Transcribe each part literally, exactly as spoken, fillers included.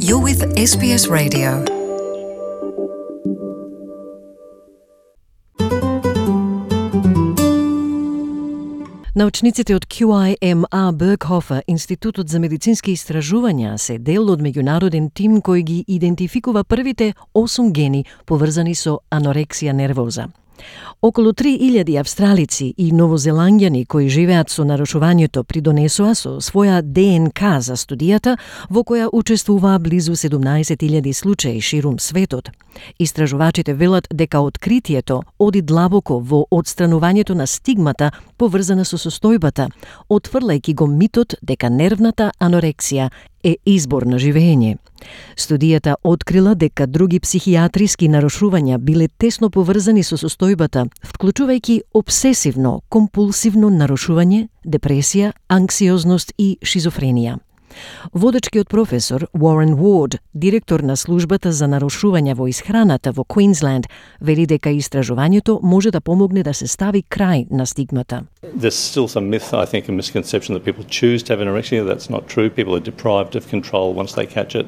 You're with S B S Radio. Научниците од Q I M A Berghofer, Институтот за медицински истражувања, се дел од меѓународен тим кој ги идентификува првите осум гени поврзани со анорексија нервоза. Околу три илјади австралици и новозеланѓани кои живеат со нарушувањето придонесоа со своја Д Н К за студијата, во која учествуваа близу седумнаесет илјади случаи ширум светот. Истражувачите велат дека откритието оди длабоко во одстранувањето на стигмата поврзана со состојбата, отфрлајќи го митот дека нервната анорексија е избор на живење. Студијата открила дека други психијатриски нарушувања биле тесно поврзани со состојбата, вклучувајќи обсесивно, компулсивно нарушување, депресија, анксиозност и шизофренија. Водечкиот професор Уорен Уорд, директор на службата за нарушувања во исхраната во Квинсленд, вели дека истражувањето може да помогне да се стави крај на стигмата. There's still some myth, I think, a misconception that people choose to have anorexia. That's not true. People are deprived of control once they catch it.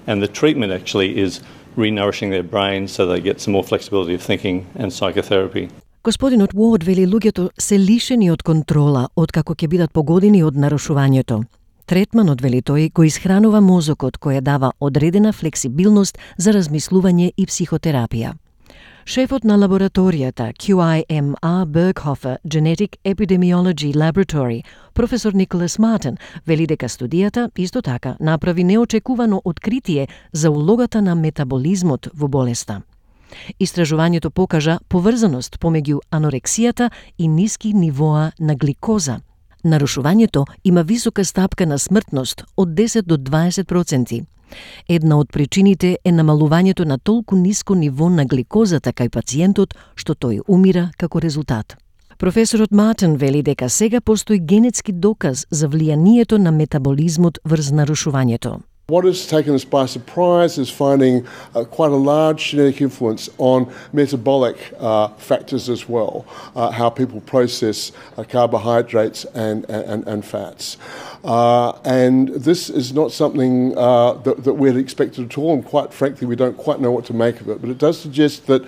And the treatment actually is re-nourishing their brain so they get some more flexibility of thinking and psychotherapy. Господинот Уорд вели луѓето се лишени од контрола откако ќе бидат погодени од нарушувањето. Третманот, вели тој, го исхранува мозокот, која дава одредена флексибилност за размислување и психотерапија. Шефот на лабораторијата Q I M A Berghofer Genetic Epidemiology Laboratory, професор Николас Мартин, вели дека студијата исто така направи неочекувано откритие за улогата на метаболизмот во болеста. Истражувањето покажа поврзаност помеѓу анорексијата и ниски нивоа на гликоза. Нарушувањето има висока стапка на смртност од десет до дваесет проценти. Една од причините е намалувањето на толку ниско ниво на гликозата кај пациентот, што тој умира како резултат. Професорот Мартин вели дека сега постои генетски доказ за влијанието на метаболизмот врз нарушувањето. What has taken us by surprise is finding uh, quite a large genetic influence on metabolic uh, factors as well, uh, how people process uh, carbohydrates and, and, and fats. Uh, and this is not something uh, that, that we'd expected at all, and quite frankly we don't quite know what to make of it. But it does suggest that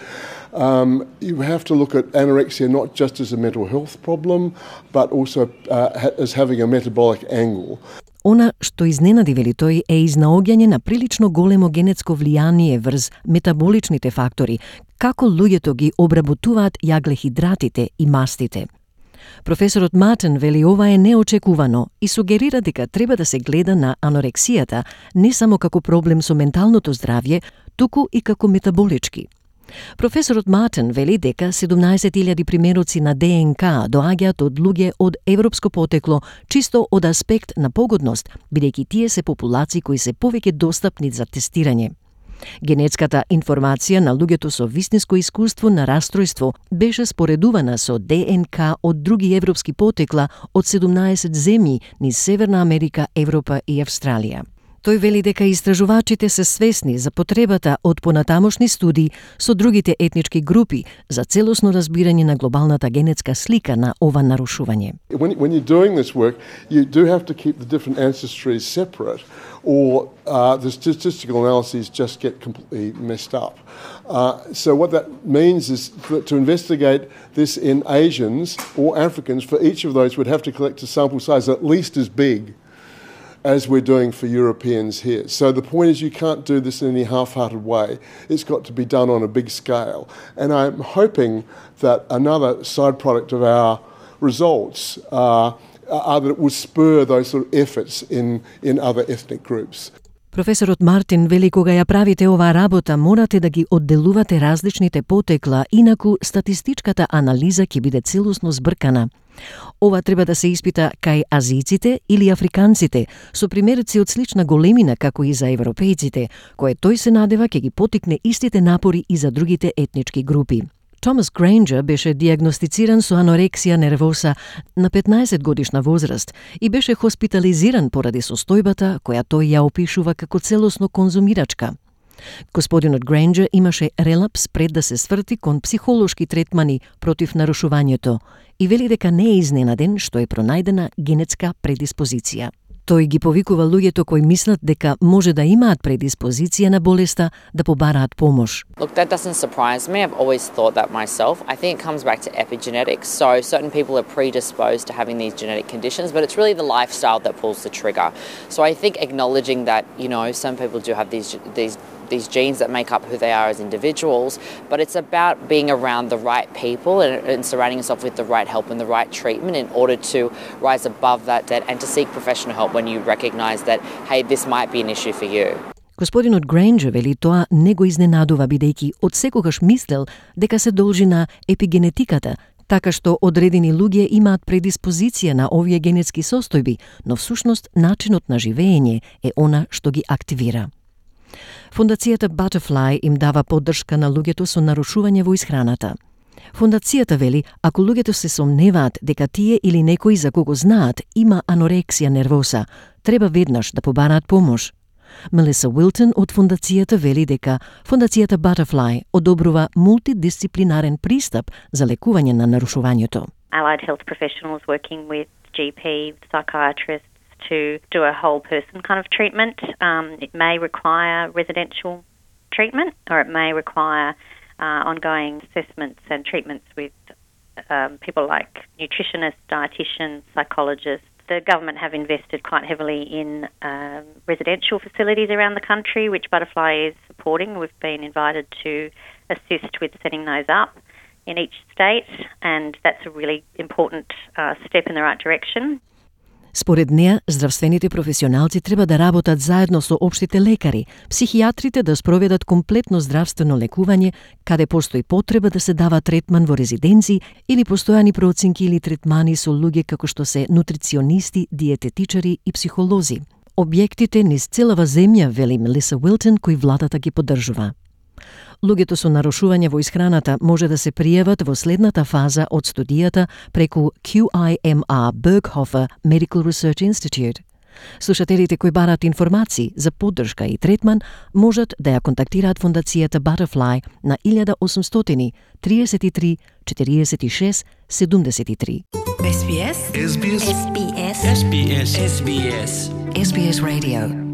um, you have to look at anorexia not just as a mental health problem, but also uh, as having a metabolic angle. Она што изненади, вели тој, е изнаоѓање на прилично големо генетско влијание врз метаболичните фактори, како луѓето ги обработуваат јаглехидратите и мастите. Професорот Мартин вели ова е неочекувано и сугерира дека треба да се гледа на анорексијата не само како проблем со менталното здравје, туку и како метаболички. Професорот Мартин вели дека седумнаесет илјади примероци на Д Н К доаѓаат од луѓе од европско потекло чисто од аспект на погодност, бидејќи тие се популации кои се повеќе достапни за тестирање. Генетската информација на луѓето со вистинско искуство на растројство беше споредувана со Д Н К од други европски потекла од седумнаесет земји низ Северна Америка, Европа и Австралија. Тој вели дека истражувачите се свесни за потребата од понатамошни студии со другите етнички групи за целосно разбирање на глобалната генетска слика на ова нарушување. When, when you're doing this work, you do have to keep the different ancestries separate, or uh, the statistical analyses just get completely messed up. Uh, so what that means is that to investigate this in Asians or Africans, for each of those would have to collect a sample size at least as big as we're doing for Europeans here. So the point is you can't do this in any half-hearted way. It's got to be done on a big scale. And I'm hoping that another side product of our results uh, are that it will spur those sort of efforts in, in other ethnic groups. Професорот Мартин вели кога ја правите оваа работа морате да ги одделувате различните потекла, инаку статистичката анализа ќе биде целосно збркана. Ова треба да се испита кај азијците или африканците, со примерици од слична големина како и за европејците, кое тој се надева ќе ги потикне истите напори и за другите етнички групи. Томас Грейнџер беше диагностициран со анорексија нервоса на петнаесет годишна возраст и беше хоспитализиран поради состојбата која тој ја опишува како целосно конзумирачка. Господинот Грейнџер имаше релапс пред да се сврти кон психолошки третмани против нарушувањето и вели дека не е изненаден што е пронајдена генетска предиспозиција. Тој ги повикува луѓето кои мислат дека може да имаат предиспозиција на болеста да побараат помош. Look, that doesn't surprise me. I've always thought that myself. I think it comes back to epigenetics. So certain people are predisposed to having these genetic conditions, but it's really the lifestyle that pulls the trigger. So I think acknowledging that, you know, some people do have these these these genes that make up who they are as individuals, but it's about being around the right people and, and surrounding yourself with the right help and the right treatment in order to rise above that, that and to seek professional help when you recognize that, hey, this might be an issue for you. Господинот Грейнџер вели тоа не го изненадува бидејќи од секогаш мислел дека се должи на епигенетиката, така што одредени луѓе имаат предиспозиција на овие генетски состојби, но всушност начинот на живење е она што ги активира. Фондацијата Butterfly им дава поддршка на луѓето со нарушување во исхраната. Фондацијата вели, ако луѓето се сомневаат дека тие или некој за кого знаат има анорексија нервоса, треба веднаш да побараат помош. Мелиса Уилтон од фондацијата вели дека фондацијата Butterfly одобрува мултидисциплинарен пристап за лекување на нарушувањето. Allied health professionals working with G P, psychiatrists to do a whole person kind of treatment. Um, it may require residential treatment or it may require uh, ongoing assessments and treatments with um, people like nutritionists, dietitians, psychologists. The government have invested quite heavily in um, residential facilities around the country, which Butterfly is supporting. We've been invited to assist with setting those up in each state, and that's a really important uh, step in the right direction. Според неа, здравствените професионалци треба да работат заедно со општите лекари, психијатрите да спроведат комплетно здравствено лекување, каде постои потреба да се дава третман во резиденци или постојани проценки или третмани со луѓе како што се нутриционисти, диететичари и психолози. Објектите низ целава земја, вели Мелиса Уилтон, кои владата ги поддржува. Луѓето со нарушување во исхраната може да се пријават во следната фаза од студијата преку Q I M R Berghofer Medical Research Institute. Слушателите кои бараат информации за поддршка и третман можат да ја контактираат фондацијата Butterfly на еден осум триесет и три четириесет и шест седумдесет и три. S B S S B S S B S S B S S B S S B S Radio.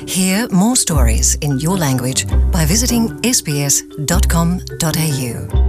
Hear more stories in your language by visiting s b s dot com dot a u.